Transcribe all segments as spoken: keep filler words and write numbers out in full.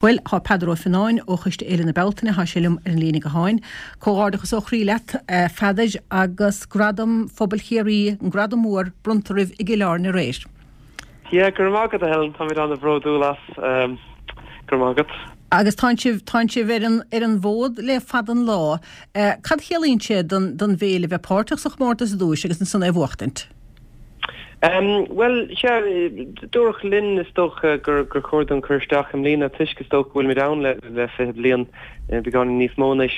Bhuel, tá Peadar Ó Fionnáin ó Choiste Fhéile na Bealtaine, tá sé liom ar an líne gutháin. Comhghairdeachas ó chroí leat, a Pheadair, agus Gradam Phobail Chiarraí, an gradam mór, bronnta oraibh i gCill Airne aréir. Yeah, go raibh maith agat, a Helen, táimid an-bhródúil as. Go raibh maith agat. Agus tánn sibh, tánn sibh ar an, ar an bhfód le fada an lá. Cad a chiallaíonn sé don, don bhféile bheith páirteach sa chomórtas ar dtúis agus ansan é a bhuachtaint? Bhuel, sea, dúradh linn, is dócha, gur chóir dúinn cur isteach i mbliana toisc, is dócha, go bhfuilimid ann le fiche bliain, beagáinín níos mó anois.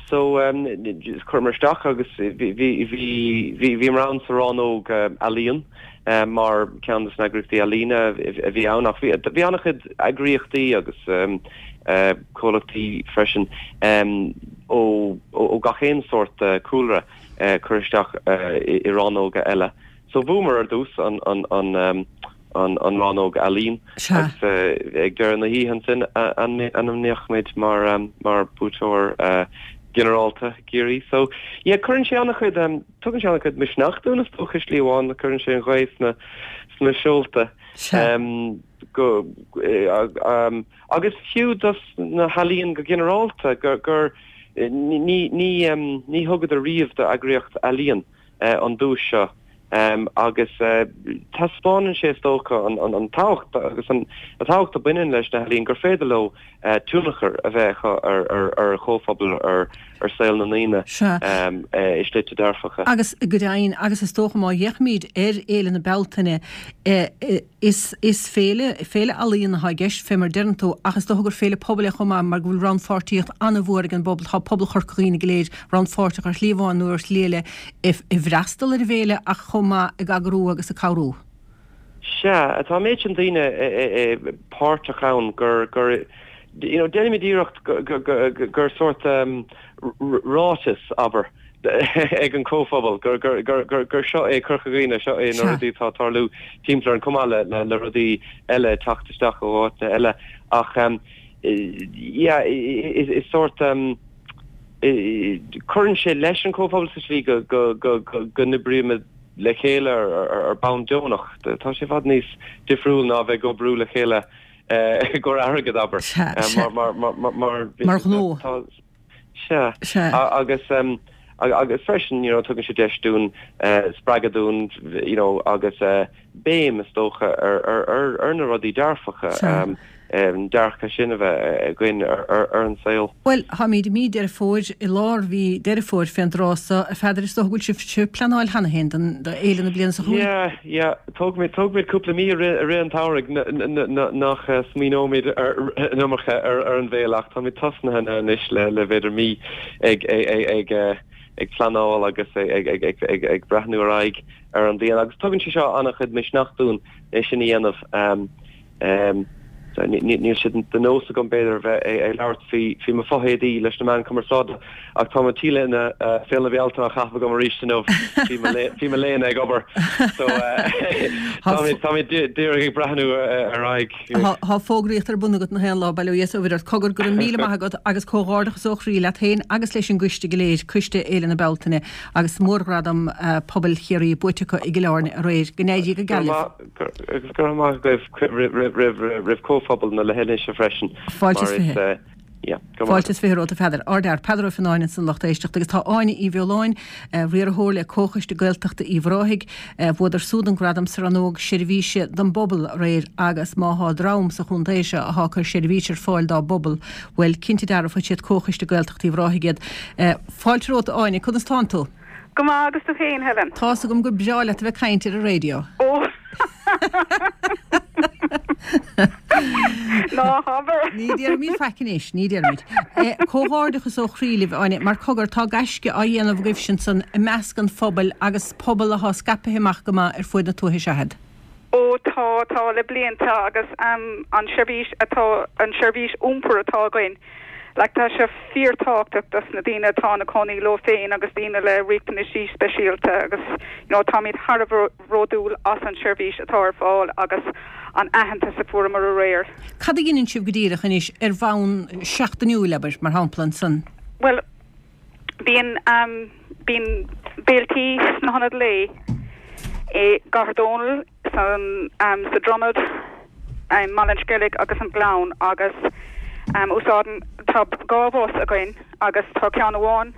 So, chuireamar isteach agus bhíomar ann sa rannóg ealaíon mar ceann de na eagraíochtaí ealaíne a bhí ann ach bhí an-chuid eagraíochtaí agus comhlachtaí freisin ó gach aon sórt cúlra. cur isteach i rannóga eile. So bhuamar ar dtús an an an rannóg ealaíon agus ag deireadh na hoíche ansin ainmníodh muid mar mar buaiteoir ginearálta i gCiarraí. So yeah cuireann sé an-chuid tugann sé an-chuid misneach dúinn is dócha i slí amháin cuireann sé an ghaoth sna sna seolta go agus fiú dos na healaíon go ginearálta gur gur Ní ní thugadar riamh d'eagraíocht ealaíon an duais seo agus taispeánann sé is dócha an tábhacht agus an tábhacht a bhaineann leis na healaíon gur féidir leo tionchar a bheith acu ar ar chomhphobal ar ar saol na ndaoine i slite dearfacha. Agus go deimhin agus is dócha má fhéachaimid ar Fhéile na Bealtaine Is is féile féile ealaíon atá i gceist, fé mar a deireann tú, ach is dócha gur féile pobail é chomh maith mar go bhfuil rannpháirtíocht an-mhór ag an bpobal. Tá pobal Chorca Dhuibhne go léir rannpháirteach ar shlí amháin nó ar shlí eile i i bhfreastal ar an bhféile ach chomh maith ag eagrú agus ag cabhrú. Sea, tá an méid sin daoine páirteach ann gur gur you know déanaimid iarracht gur sórt ráiteas, abair, ag an comhphobal gur gur seo é Corca Dhuibhne, seo é na rudaí atá ag tarlú timpeall orainn, chomh maith le le rudaí eile ag teacht isteach ó áiteanna eile. Ach yeah, is sórt cuireann sé leis an comhphobal sa slí go go go go n-oibrímid le chéile ar bonn deonach. Tá sé i bhfad níos difriúil ná a bheith ag oibriú le chéile i gcomhair airgid, abair, mar mar mar mar ghnó. Sea. Sea. Agus agus freisin, you know, tugann sé deis dúinn, spreagadh dúinn, you know, agus béim, is dócha, ar ar ar na rudaí dearfacha, an dearcadh sin a bheith againn ar ar an saol. Bhuel, táimid i mí Deireadh Fómhair, i lár mhí Deireadh Fómhair fén dtráth so, a Pheadair, is dócha go bhfuil sibh ag pleanáil cheana féin don fhéile na bliana seo chugainn? Yeah, yeah. Tógfaimid, tógfaimid cúpla mí i rith, i rith an tsamhraidh nach smaoineoimid an iomarca ar, ar an bhféile ach táimid tosnaithe anois le, le b'fhéidir mí ag, ag, ag, ag pleanáil agus ag, ag, ag, ag, ag breathnú ar aghaidh ar an bhliain agus tugann sé seo an-chuid misneach dúinn é sin a dhéanamh. Níl sé de nós agam, b'fhéidir, a bheith ag labhairt faoi mo fho-éadaí leis na meáin chumarsáide, ach tá mo T-léine Féile na Bealtaine á chaitheamh agam arís inniu. Bhí mo léine ag obair. So táimid díreach ag breathnú ar aghaidh. Tá fógraíocht ar bun agat nach aon lá, bail ó Dhia is ó Mhuire ort. Cogar, go raibh míle maith agat agus comhghairdeachas ó chroí leat féin agus leis an gcoiste go léir, Coiste Fhéile na Bealtaine, agus Mórghradam Pobail Chiarraí buaite acu i gCill Airne aréir. Go n-éirí go geal libh. Agus go raibh maith agaibh roimh chomhphobal na leithinise freisin. Fáilte is fiche. Fáilte is fiche romhat, a Pheadair. Ardfhear, Peadar Ó Fionnáin ansan lucht éisteachta agus tá Áine Uí Bheoláin, riarthóir le Comhchoiste Gaeltachta Uíbh Ráthaigh. Bhuadar súd an gradam sa rannóg seirbhíse don bpobal aréir agus má thá dream sa chontae seo athá ag cur seirbhís ar fáil dá bpobal, bhuel, cinnte dearfa siad Comhchoiste Gaeltachta Uíbh Ráthaigh iad. Fáilte romhat, a Áine, conas tánn tú? Go maith, agus tú féin, Helen? Tá's agam gur breá leat a bheith ag caint ar an raidió. Ó! Ná habair! Ní déarfaimid faic anois, ní déarfaimid. Comhghairdeachas ó chroí libh, Áine, mar cogar, tá gaisce á dhéanamh agaibhse ansan i measc an phobail agus pobal athá scaipthe amach go maith ar fuaid na tuaithe seathad. Ó tá, tá le blianta agus an seirbhís atá, an seirbhís iompair atá againn, like tá sé fíorthábhachtach dos na daoine atá ina cónaí leo féin agus daoine le riachtanaisí speisialta agus you know táimid thar a bheith bhródúil as an seirbhís atá ar fáil agus an aitheantas a fuaireamar aréir. Cad a dheineann sibh go díreach anois ar bhonn seachtainiúil, abair, mar shampla, ansan? Bhuel, Bíonn bíonn béiltí sna hionaid lae i gCathair Dónall, san sa Dromad, i mBaile an Sceilg agus an Gleann agus um, úsáideann tá dhá bhus againn agus tá ceann amháin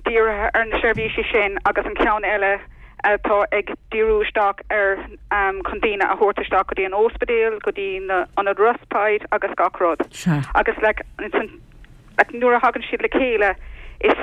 dírithe ar na seirbhísí sin agus an ceann eile atá ag díriú isteach ar um, chun daoine a thabhairt isteach go dtí an ospidéal, go dtí na ionad respite agus gach rud. Sea. Agus like, like, nuair a thagann siad le chéile is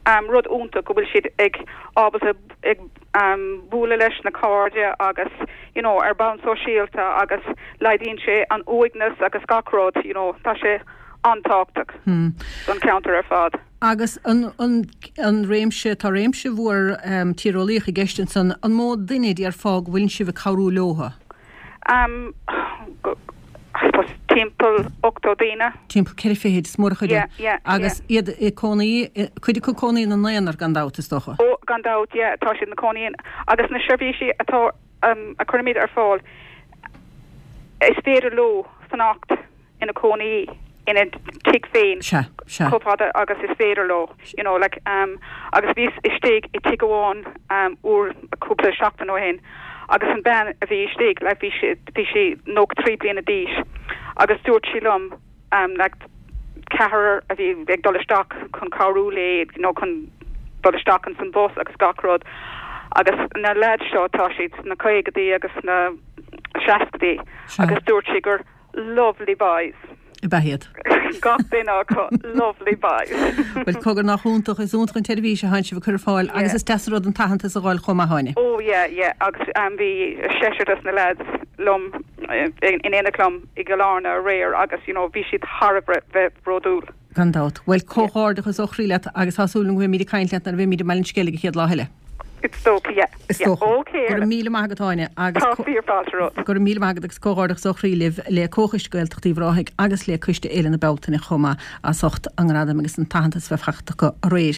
um, rud iontach go bhfuil siad ag ábalta ag um, bualadh leis na cairde agus you know, ar bonn sóisialta agus laghdaíonn sé an uaigneas agus gach rud, you know, tá sé an-tábhachtach Hmm. don ceantar ar fad. Agus an, an, an réimse tá réimse mhór um, tíreolaíoch i gceist ansan an mó duine déarfá go bhfuil sibh ag cabhrú leo. Um, go, I suppose timpeall ochtó daoine. Timpeall ceithre fichid is mór chuide. Yeah, yeah, Agus iad i cónaí cuid acu cónaí ina n-aonar gan dabht is dócha. Ó gan dabht yeah, tá siad na cónaí agus na seirbhísí atá um, a chuirimid ar fáil is féidir leo fanacht ina cónaí ina tigh féin Sea, sea. chomh fada agus is féidir leo you know like um agus bhíos istigh i tigh amháin um uair cúpla seachtain ó shin agus an bean a bhí istigh like bhí sí bhí sí nócha trí bliana d'aois agus dúirt sí liom um like ceathrar a bhí ag dul isteach chun cabhrú léi you know chun dul isteach an san bus agus gach rud agus na lads seo tá siad na caogaidí agus na seascaidí Sea. agus dúirt sí gur lovely boys I behéad. gach duine acu lovely boys Well cogar nach iontach is iontach an tseirbhís a tánn sibh ag cur ar fáil agus Yeah. is deas rud an t-aitheantas a fháil chomh maith Áine. Oh yeah yeah agus um, bhí seisear des na lads liom eh, in in éineacht liom i gCill Airne aréir agus you know bhí siad thar a bheith bródúil. Gan dabht. Well comhghairdeachas ó chroí leat agus tá súil go mbeimid ag caint leat nuair a bheimid i mBaile an Sceilg an chéad lá eile. Is dócha yeah. Is yeah. dócha. Okay. Go raibh míle maith agat Áine agus Tá co- fíor fáilte romhat. Go raibh míle maith agat agus comhghairdeachas ó chroí libh le Comhchoiste Gaeltachta Uíbh Ráthaigh agus le Coiste Fhéile na Bealtaine chomh maith as ucht an gradam agus an t-aitheantas bheith faighte acu aréir.